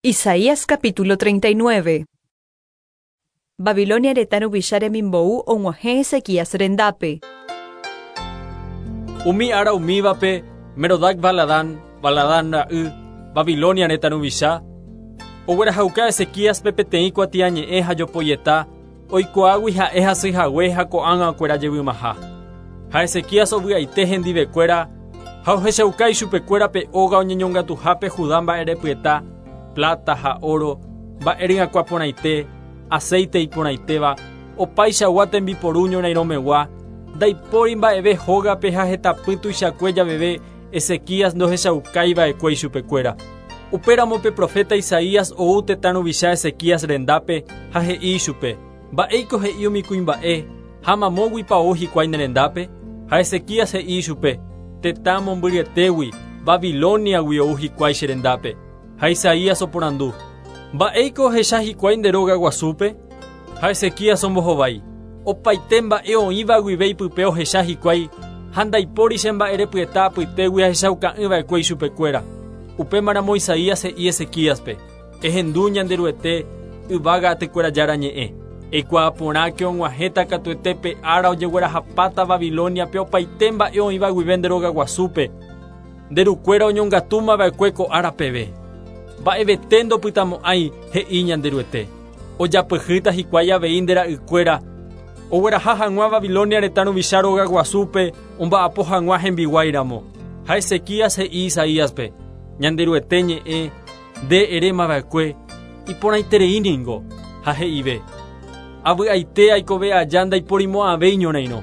Isaías capítulo 39. Babilonia retã ruvicha remimbou og̃uahẽ Ezequías rendápe. Umi ára umívape, Merodac Baladán, Baladán ra'y, Babilonia retã ruvicha, oguerahauka Ezequíaspe peteĩ kuatiañe'ẽ ha jopoieta, oikuaágui ha'e hasy hague ha ko'ág̃a okuera jevymaha. Ha Ezequías ovy'aite hendivekuéra ha ohechauka ichupekuéra pe óga oñeñongatuhápe Judá mba'erepyeta, pláta ha óro, mba'e ryakuã porãite, aséite iporãitéva, opaichagua tembiporu ñorairõmegua, ndaipóri mba'eve hógape ha hetapy tuichakue javeve Ezequías ndohechaukái va'ekue ichupekuéra. Upéramo pe proféta Isaías ou tetã ruvicha Ezequías rendápe ha he'i ichupe, Mba'éiko he'i umi kuimba'e, ha mamóguipa ou hikuái ne rendápe? Ha Ezequías he'i ichupe, Tetã mombyryetégui, Babilóniagui ou hikuái che rendápe. Ha Isaías oporandu, Mba'éiko ohecha hikuái nde róga guasúpe? Ha Ezequías ombohovái, Opaite mba'e oĩva guive ipype ohecha hikuái, ha ndaipóri che mba'erepyeta apytégui ahechauka'ỹ va'ekue ichupekuéra. Upémaramo Isaías he'i Ezequíaspe, Ehendu Ñanderuete, yvága atykuéra Jára ñe'ẽ. Eikuaa porãke og̃uahẽta katuete pe ára ojeguerahapáta Babilóniape opaite mba'e oĩva guive nde rogaguasúpe, nde rukuéra oñongatúma va'ekue ko ára peve. Mba'evete ndopytamo'ãi, he'i Ñanderuete. Ojapyhýta hikuái avei nde ra'ykuéra, ogueraha hag̃ua Babilonia retã ruvicha róga guasúpe omba'apo hag̃ua hembiguái ramo. Ha Ezequías he'i Isaíaspe, Ñanderuete ñe'ẽ, nde eréma va'ekue, iporãiterei ningo. Ha he'ive, Avy'aite aikove aja ndaiporimo'ãvéi ñorairõ.